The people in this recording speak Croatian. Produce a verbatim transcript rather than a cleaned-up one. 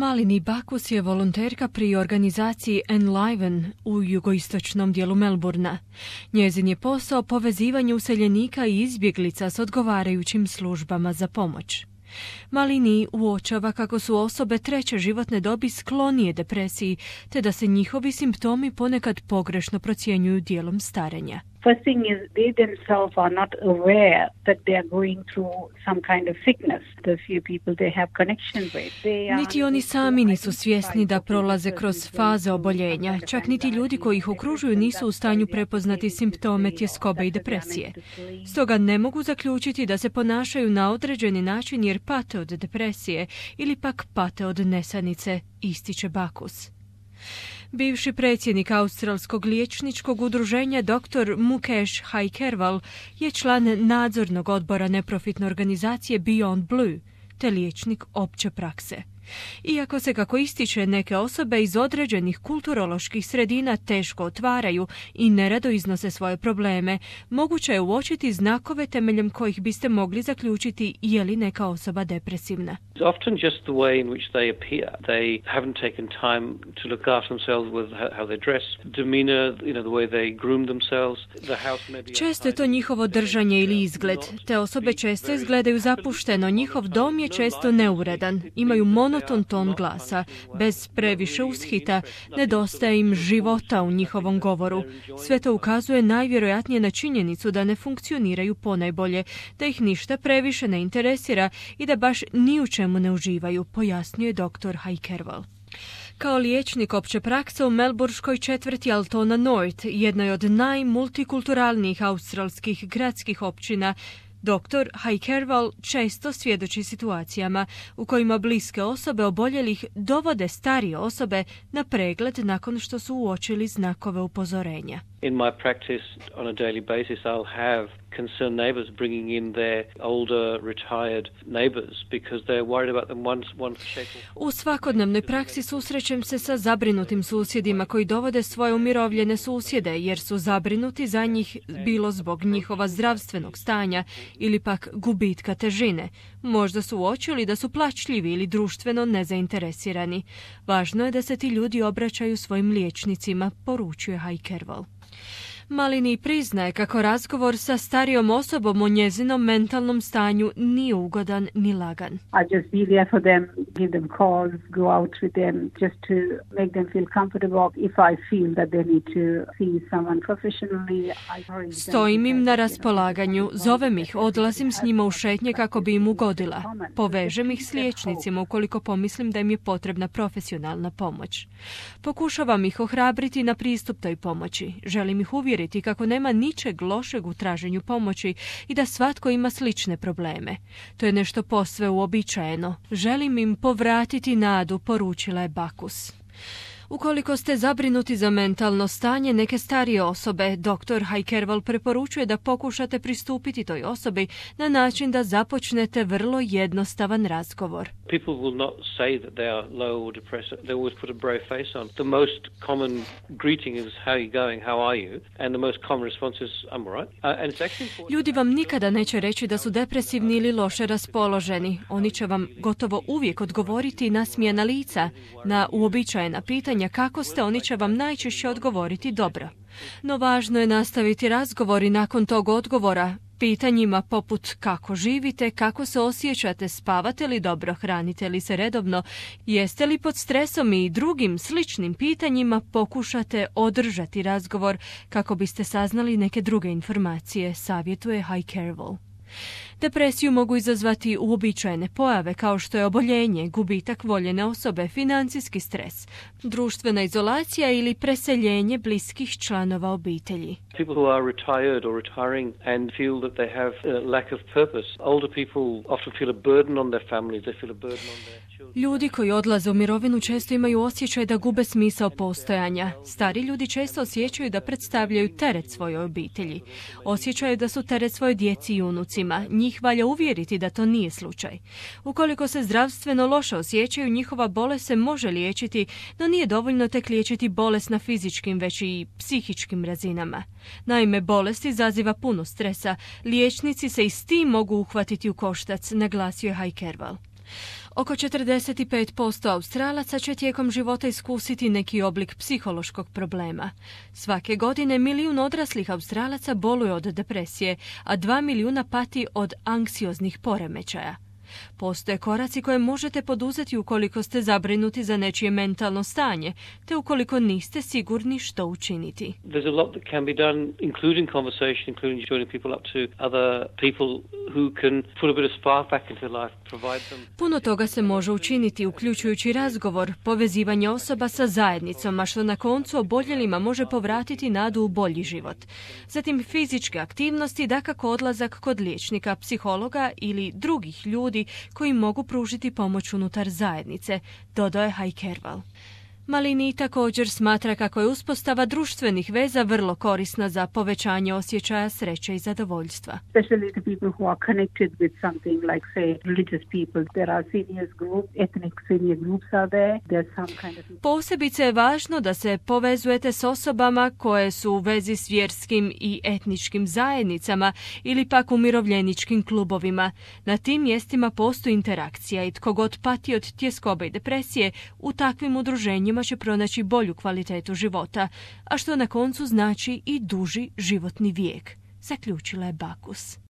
Malini Bakus je volonterka pri organizaciji Enliven u jugoistočnom dijelu Melburna. Njezin je posao povezivanje useljenika i izbjeglica s odgovarajućim službama za pomoć. Malini uočava kako su osobe treće životne dobi sklonije depresiji, te da se njihovi simptomi ponekad pogrešno procjenjuju dijelom starenja. First thing is they themselves are not aware that they are going through some kind of sickness. The few people they have connection with. They are Niti oni sami nisu svjesni da prolaze kroz faze oboljenja. Čak niti ljudi koji ih okružuju nisu u stanju prepoznati simptome tjeskobe i depresije. Stoga ne mogu zaključiti da se ponašaju na određeni način jer pate od depresije ili pak pate od nesanice, ističe Bakus. Bivši predsjednik Australskog liječničkog udruženja doktor Mukesh Haikerwal je član nadzornog odbora neprofitne organizacije Beyond Blue, te liječnik opće prakse. Iako se, kako ističe, neke osobe iz određenih kulturoloških sredina teško otvaraju i nerado iznose svoje probleme, moguće je uočiti znakove temeljem kojih biste mogli zaključiti je li neka osoba depresivna. Often just the way in which they appear. They haven't taken time to look after themselves with how they dress, demeanor, you know, the way they groom themselves. The house may be Često je to njihovo držanje ili izgled. Te osobe često izgledaju zapušteno, njihov dom je često neuredan, imaju monoton ton glasa, bez previše ushita, nedostaje im života u njihovom govoru. Sve to ukazuje najvjerojatnije na činjenicu da ne funkcioniraju ponajbolje, da ih ništa previše ne interesira i da baš ni u čemu ne uživaju, pojasnjuje doktor Haikerwal. Kao liječnik opće prakse u melburškoj četvrti Altona North, jednoj od najmultikulturalnijih australskih gradskih općina, doktor Haikerwal često svjedoči situacijama u kojima bliske osobe oboljelih dovode starije osobe na pregled nakon što su uočili znakove upozorenja. In my practice on a daily basis I'll have concerned neighbors bringing in their older retired neighbors because they're worried about them once one shake. U svakodnevnoj praksi susrećem se sa zabrinutim susjedima koji dovode svoje umirovljene susjede jer su zabrinuti za njih bilo zbog njihova zdravstvenog stanja ili pak gubitka težine. Možda su uočili da su plačljivi ili društveno nezainteresirani. Važno je da se ti ljudi obraćaju svojim liječnicima, poručuje Haikerwal. Malini priznaje kako razgovor sa starijom osobom o njezinom mentalnom stanju nije ugodan ni lagan. I just be there for them, give them calls, go out with them, just to make them feel comfortable. If I feel that they need to see someone professionally, I Stojim im na raspolaganju, zovem ih, odlazim s njima u šetnje kako bi im ugodila. Povežem ih s liječnicima ukoliko pomislim da im je potrebna profesionalna pomoć. Pokušavam ih ohrabriti na pristup toj pomoći. Želim ih uvjeriti kako nema ničeg lošeg u traženju pomoći i da svatko ima slične probleme. To je nešto posve uobičajeno. Želim im povratiti nadu, poručila je Bakus. Ukoliko ste zabrinuti za mentalno stanje neke starije osobe, doktor Haikerwal preporučuje da pokušate pristupiti toj osobi na način da započnete vrlo jednostavan razgovor. People will not say that they are low or depressed. They always put a brave face on. The most common greeting is how are you going, how are you? And the most common response is I'm all right. Uh, and it's actually important. Ljudi vam nikada neće reći da su depresivni ili loše raspoloženi. Oni će vam gotovo uvijek odgovoriti nasmijana lica. Na uobičajena pitanja kako ste, oni će vam najčešće odgovoriti dobro. No važno je nastaviti razgovor i nakon tog odgovora pitanjima poput kako živite, kako se osjećate, spavate li dobro, hranite li se redovno, jeste li pod stresom i drugim sličnim pitanjima pokušate održati razgovor kako biste saznali neke druge informacije, savjetuje Haikerwal. Depresiju mogu izazvati uobičajene pojave kao što je oboljenje, gubitak voljene osobe, financijski stres, društvena izolacija ili preseljenje bliskih članova obitelji. People who are retired or retiring and feel that they have a lack of purpose. Older people often feel a burden on their families, they feel a burden on their children. Ljudi koji odlaze u mirovinu često imaju osjećaj da gube smisao postojanja. Stari ljudi često osjećaju da predstavljaju teret svojoj obitelji. Osjećaju da su teret svojoj djeci i unucima. Njih valja uvjeriti da to nije slučaj. Ukoliko se zdravstveno loše osjećaju, njihova bolest se može liječiti, no nije dovoljno tek liječiti bolest na fizičkim, već i psihičkim razinama. Naime, bolest izaziva puno stresa. Liječnici se i s tim mogu uhvatiti u koštac, naglasio je Haikerwal. Oko četrdeset pet posto Australaca će tijekom života iskusiti neki oblik psihološkog problema. Svake godine milijun odraslih Australaca boluje od depresije, a dva milijuna pati od anksioznih poremećaja. Postoje koraci koje možete poduzeti ukoliko ste zabrinuti za nečije mentalno stanje, te ukoliko niste sigurni što učiniti. There's a lot that can be done, including conversation, including joining people up to other people who can put a bit of spark back into their life, provide them. Puno toga se može učiniti, uključujući razgovor, povezivanje osoba sa zajednicom, a što na koncu oboljelima može povratiti nadu u bolji život. Zatim fizičke aktivnosti, dakako odlazak kod liječnika, psihologa ili drugih ljudi koji mogu pružiti pomoć unutar zajednice, dodao je Hajkerval. Malini također smatra kako je uspostava društvenih veza vrlo korisna za povećanje osjećaja sreće i zadovoljstva. Especially the people who are connected with something like, say, religious people. There are seniors group, ethnic senior groups are there. There's some kind of... Posebice je važno da se povezujete s osobama koje su u vezi s vjerskim i etničkim zajednicama ili pak umirovljeničkim klubovima. Na tim mjestima postoji interakcija i tko god pati od tjeskobe i depresije u takvim udruženjima će pronaći bolju kvalitetu života, a što na koncu znači i duži životni vijek, zaključila je Bacchus.